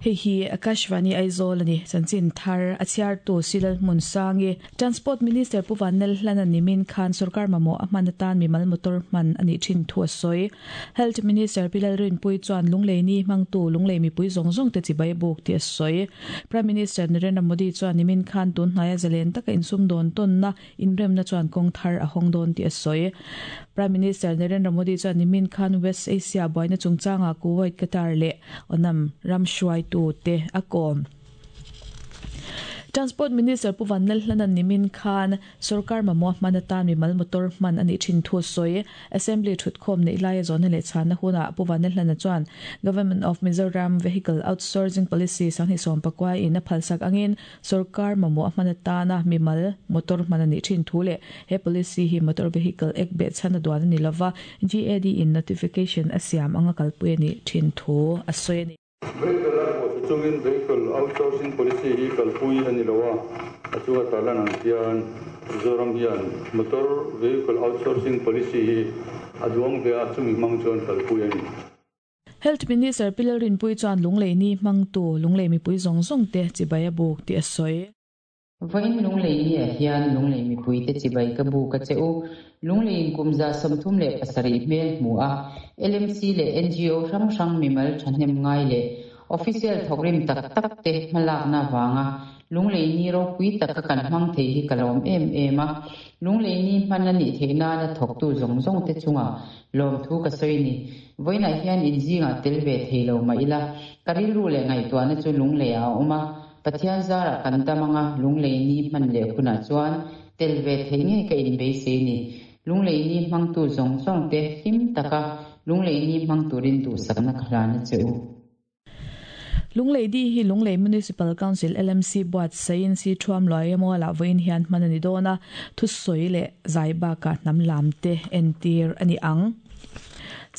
Hei hi Akashvani Aizawl a ni. Chanchin thar a chhiartu Silal Hmunsangi. Transport Minister Pu Vanlal Hlana nimin khan sorkar mamawh a hman atan mimal motor hman a nih thin thu a sawi. Health Minister Pi Lalrinpuii chuan Lunglei ni hmangtu Lunglei mipui zawng zawng te chibai a buk tih a sawi. Prime Minister Narendra Modi chuan nimin khan tun hnaia zalen taka insumdawn tawnna Inremna chuan kawng thar a hawng dawn tih a sawi. Prime Minister Narendra Modi chuan nimin khan West Asia buaina chungchangah Kuwait, Qatar leh Onam ram hruaitute a kawm. Transport Minister Pu Vanlalhlana'n nimin khan sorkar mamawh hman atan mimal motor hman a nih thin thu a sawi. Assembly thutkhawm neih laia zawhna leh chhanna hunah Pu Vanlalhlana chuan Government of Mizoram Vehicle Outsourcing Policy 2019 in a phalsak angin Sorkar mamawh a hman atana mimal motor hman a nih thin thu leh he policy hi Motor Vehicle Act beh chhan a duan a ni lova, GAD in notification a siam anga kalpui a nih thin thu a sawi a ni. Vehicle a pawh chu chungin Vehicle Outsourcing Policy hi kalpui a ni lo a, a chunga tarlan ang hian Mizoram hian Motor Vehicle Outsourcing Policy hi a duang ve a, chumi hmang chuan kalpui a ni. Health Minister Pi Lalrinpuii chuan Lunglei ni hmangtu Lunglei mipui zawng zawng te chibai a buk tih a sawi. Vawiin Lunglei ni ah hian Lunglei mipui te chibai ka buk a che u. Lunglei in kum 37 hmel hmu a, LMC leh NGO hrang hrang mimal thahnem ngai leh Official thawkrim tak tak te hmalakna avanga Lunglei ni ropui taka kan hmang thei hi ka lawm em em a. Lunglei ni hman a nih theih nana thawktu zawng zawng te chungah lawmthu ka sawi ni. Vawiinah hian inzingah tel ve thei lo mah ila, ka rilru leh ngaihtuahna chu Lungleiah a awm a. Pathian zarah kan dam anga Lunglei ni hman leh hunah chuan tel ve theih ngei ka inbeisei ni. Lunglei ni hmangtu zawng zawng te hlim taka Lunglei ni hmang turin duhsakna ka hlan a che u. Lunglei di hi Lunglei Municipal Council, LMC, buatsaihin si thuam luai emaw lah vawiin hian hman a ni dawn a, thusawi leh zai bakah hnam lam te entir a ni ang.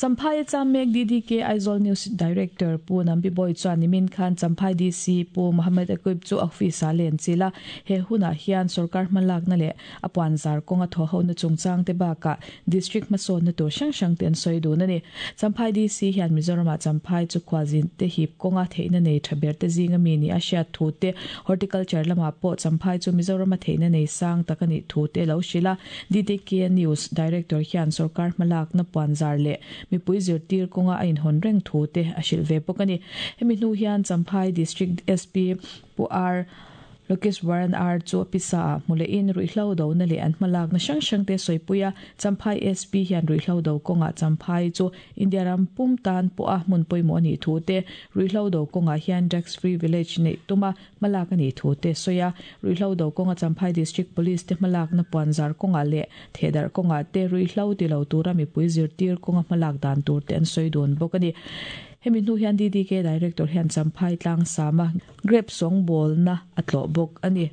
Champhai a cham mek DDK Aizawl News Director Pu Nambi Bawi chuan nimin khan Champhai DC Pu Mohammed Aqib chu office ah len chilh a, he hunah hian sorkar hmalakna leh a puanzar kawnga thawhhona chungchang te bakah District hmasawnna tur hrang hrang te an sawi dun a ni. Champhai DC hian Mizoramah Champhai chu khualzin te hip kawnga theihna nei tha ber te zinga mi nih a hriat thu te, Horticulture lamah pawh Champhai chu Mizorama theihna nei sang tak a nih thu te lo hrilh a. DDK News Director hian sorkar hmalakna puanzar leh mipui zirtir kawnga a inhawn reng thu te a hrilh ve bawk a ni. Hemi hnu hian Champhai District SP Pu R. Lokeswaran R chu pisa ah hmu lehin ruihhlo dona leh an hmalakna hrang hrang te sawipui a, Champhai SP hian ruihhlo do kawngah Champhai chu India ram pum tan pawha hmun pawimawh a nih thu te, ruihhlo do kawngah hian Drugs Free Village neih tuma hmalak a nih thu te sawi a, ruihhlo do kawnga Champhai District Police te hmalakna puanzar kawngah leh thehdarh kawngah te ruihhlo ti lo tura mipui zirtir kawnga hmalak dan tur te an sawi dun bawk a ni. Hemi hnu hian DDK Director hian Champhai tlangsama Grape sawngbawlna a tlawh bawk a ni.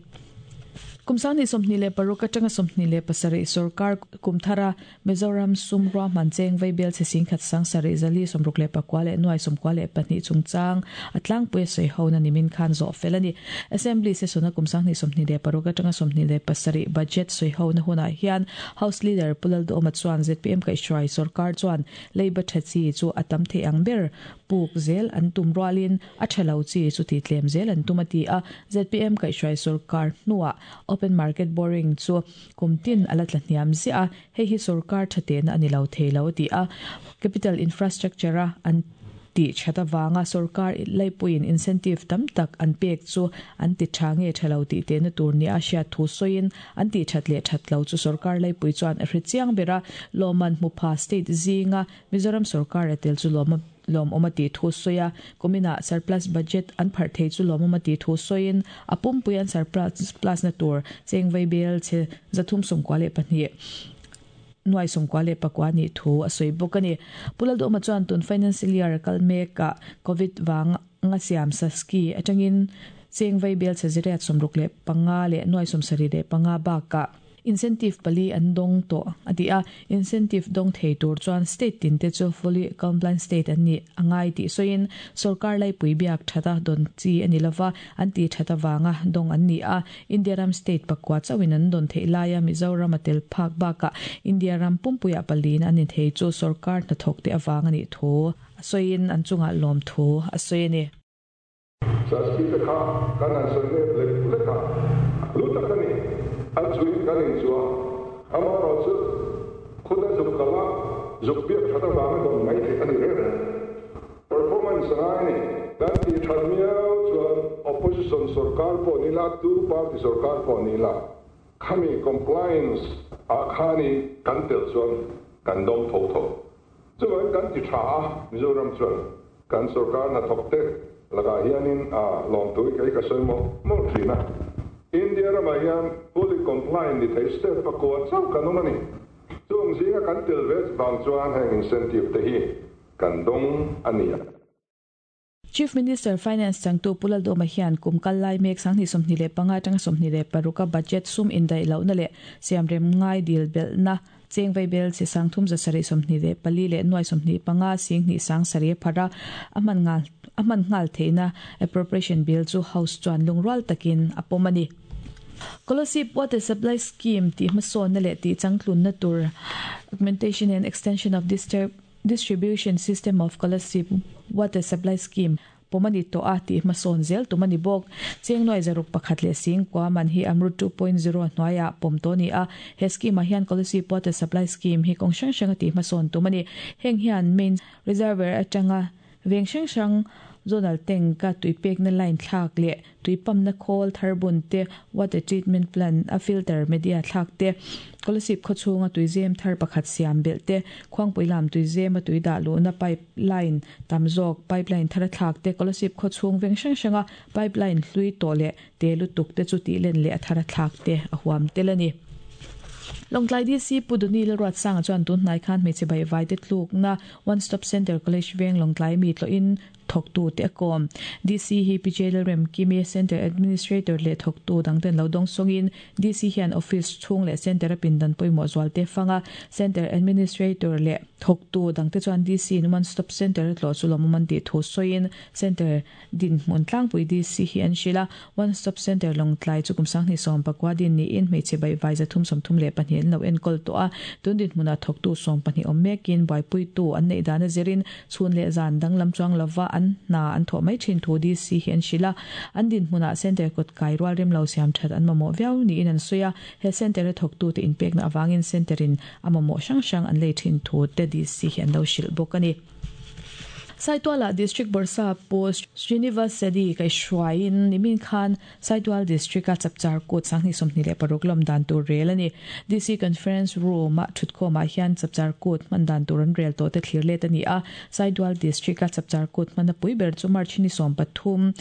Kum 2026 atanga 27 sorkar kum thara Mizoram sum ruahman cheng vaibel chhe singkhat sang sarih zali 69 leh nuai 92 chungchang a tlangpui a sawi hona nimin khan zawh fel a ni. Assembly session-a kum 2026 atanga 27 budget sawi hona hunah hian House Leader Pu Lalduhawma chuan zpm kaihhruai sorkar chuan leiba tha chi chu a tam thei ang ber puk zel an tum rualin a tha lo chi chu ti tlem zel an tum a ti a. Zpm kaihhruai sorkar hnuah open market borrowing chu kum tin a la tla hniam ziah a, hei hi sorkar tha tehna a ni lo thei lo a ti a. Capital infrastructure a an tih that avanga sorkar laipuiin incentive tam tak an pek chu an ti tha nge tha lo tih tehna tur nia a hriat thu sawiin an tih that leh that lo chu sorkar laipui chuan a hre chiang ber a, lawmman hmu pha state zinga Mizoram sorkar a tel chu lawm lawmawm a tih thu sawi a, kuminah surplus budget an pharh thei chu lawmawm a tih thu sawiin a pumpui an surplus na tur cheng vaibel chhe 392 nuai 99 nih thu a sawi bawk a ni. Pu Lalduhawma chuan tun financial year a kal mekah Covid vanga siam Saski atangin cheng vaibel chhe 865 leh nuai 75 bakah Incentive pali an dawng tawh a ti a, incentive dawng thei tur chuan state tin te chu fully compliant state an nih a ngai tih sawiin sorkar laipui biak that a dawn chi a ni lova, an tih that avanga dawng an ni a, India ram state pakua chauhin an dawn theih laia Mizoram a tel phak bakah India ram pumpuiah paliin an inthei chu sorkar hnathawk te avang a nih thu a sawiin an chungah lawmthu a sawi a ni. Saspi te kha kan han sawi nep lek lek a, hlu tak a ni. A chuin kan inchuh a, amaherawhchu khuta zuk kal a, zuk biak that avanga dawn mai theih a ni reng reng. Performance a ngai a ni. Kan tih that miau chuan opposition sorkar pawh ni la, tu party sorkar pawh ni la, khami compliance ah khanin kan tel chuan kan dawng tho tho. Chuvangin kan ti tha a, Mizoram chuan kan sorkar hnathawk te lakah hianin a lawmthu hi kei ka sawi mawlh mawlh thin a. India ramah hian fully compliant ni thei state pakua chauh kan awm a ni. Chung zinga kan tel ve vang chuan heng incentive te hi kan dawng a ni. Chief Minister Finance changtu Pu Laldawma hian kum kal lai mek 2025 atanga 26 a budget sum indaih lohna leh siamrem ngai dil belhna cheng vaibel chi sang thum za sarih 24 leh nuai 25 sing hnih sang sarih a pharh a, a hman nghal a hman nghal theihna Appropriation Bill chu House chuan lungrual takin a pawm a ni. Kolasib Water Supply Scheme tih hmasawnna leh tih changtlunna tur Augmentation and Extension of Distribution System of Kolasib Water Supply Scheme pawm a ni tawh a tih hmasawn zel tum a ni bawk. Cheng nuai zaruk pakhat leh singkua man hi Amrut 2.0 hnuaiah pawm tawh a ni a, he scheme ah hian Kolasib Water Supply Scheme hi kawng hrang hranga tih hmasawn tum a ni. Heng hian main reservoir atanga veng hrang hrang zonal tank a tui pekna line thlak leh tui pump na khawl thar bun te, water treatment plant a filter media thlak te, Kolasib khaw chhunga tui zem thar pakhat siam belh te, Khuangpui lam tui zema tui dah luhna pipe line tam zawk pipe line thar a thlak te, Kolasib khaw chhung veng hrang hranga pipe line hlui tawh leh te lutuk te chu tih len leh a thar a thlak te a huam tel a ni. Lawngtlai DC Pu Duni Lalruatsanga chuan tun hnai khan hmeichhe baihvai te tlukna One Stop Centre College veng Lawngtlai mi tlawhin thawktu te a kawm. DC hi Pi Lalrem Kimi, Centre Administrator leh thawktu dangten lo dawng sawngin DC hian Office chhung leh Centre a pindan pawimawh zual te fang a, Centre Administrator leh thawktu dangte chuan DC in One Stop Centre a tlawh chu lawmawm an tih thu sawiin Centre dinhmun tlangpui DC hi an hrilh a, One Stop Centre Lawngtlai chu kum 2019 din niin hmeichhe baihvai 332 an lo enkawl tawh a, tun dinhmunah thawktu 12 awm mekin buaipuitu an neih dan a zirin Chhun leh zan danglam chuang lova an hna an thawh mai thin thu DC hi an hrilh a, an dinhmunah Centre kawt kai rual rem lo siam that an mamawh viau niin an sawi a, he Centre a thawktute inpekna avangin Centre in a mamawh hrang hrang an lei thin thu te DC hi an lo hrilh bawk a ni. Saitualah District Bawrhsa Post Srinivas Sedi kaihhruaiin nimin khan Saitual District-a Chapchar Kut 2026 lawm dan tur rel a ni. DC Conference Room-a thutkhawmah hian Chapchar Kut hman dan tur an rel tawh te thlir let a ni a. Saitual District-a Chapchar Kut hmana pui ber chu March ni 13,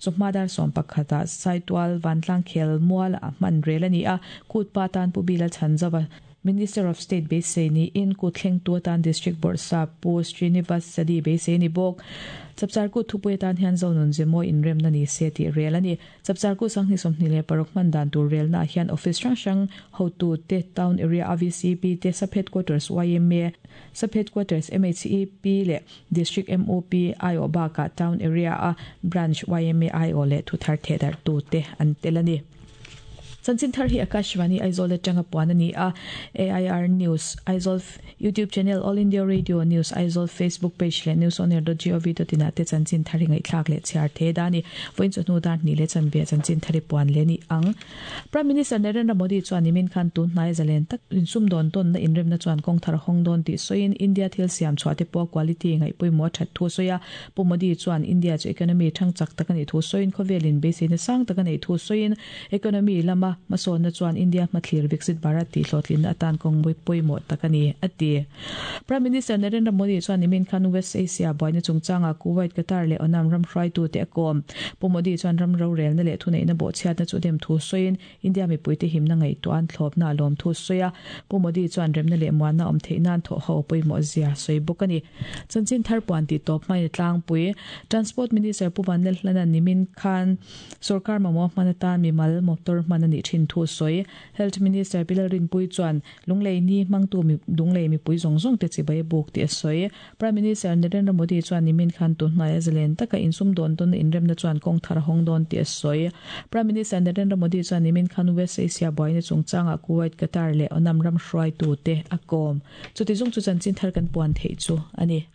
chawhma dar 11 ah Saitual Vantlang Khel Mual-ah hman rel a ni a. Kut pa tan Pu Bila Chhanzova, Minister of State beisei niin kut thlengtu atan District Bawrhsa Pu Srinivas Sadi beisei a ni bawk. Chapchar kut thupui atan hian Zonun Zemawi inremna ni se tih rel a ni. Chapchar kut 2026 hman dan tur relnaah hian office hrang hrang hotute, Town Area AVCP te, Sub Headquarters yma, Sub Headquarters MHEP leh District MOP aiawh bakah Town Area a Branch yma aiawh leh thuthar thehdarhtute an tel a ni. Chanchin thar hi Akashvani Aizawl atanga puan a ni a, AIR News, Aizawl YouTube Channel, All India Radio News, Aizawl Facebook Page leh newsonair.gov.in ah te chanchin thar hi ngaihthlak leh chhiar the da a ni. Vawiin chawhnu dar hnih leh chanve ah chanchin thar hi puan leh a ni ang. Prime Minister Narendra Modi chuan nimin khan tun hnai zalen tak insumdawn tawnna inremna chuan kawng thar a hawng dawn tih sawiin India thil siam chhuah te pawh quality ngaihpawimawh a that thu a sawi a. Pu Modi chuan India chu economy thang chak tak a nih thu sawiin khawvelin beiseina sang tak a neih thu sawiin economy lama hmasawnna chuan India hmathlir Viksit Bharat tih hlawhtlinna atan kawng pawimawh tak a ni, a ti. Prime Minister Narendra Modi chuan nimin khan West Asia buaina chungchangah Kuwait, Qatar leh Oman ram hruaitute a kawm. Pu Modi chuan ram rorelna leh thuneihna bawhchhiatna chu dem thu sawiin India mipuite himna ngaihtuah an thlawpna a lawm thu sawi a, Pu Modi chuan remna leh muanna awm theih nan thawh ho pawimawh zia sawi bawk a ni. Chanchin thar puan tih tawp hmain a tlangpui. Transport Minister Pu Vanlalhlana'n nimin khan sorkar mamawh hman atan mimal motor hman a nih thin thu sawi. Health Minister Pi Lalrinpuii chuan Lunglei ni hmangtu Lunglei mipui zawng zawng te chibai a buk tih a sawi. Prime Minister Narendra Modi chuan nimin khan tun hnaia zalen taka insum dawn dawn inremna chuan kawng thar a hawng dawn tih a sawi. Prime Minister Narendra Modi chuan nimin khan West Asia buaina chungchangah Kuwait, Qatar leh Oman ram hruaitute a kawm. Chuti zawng chu chanchin thar kan puan theih chu a ni.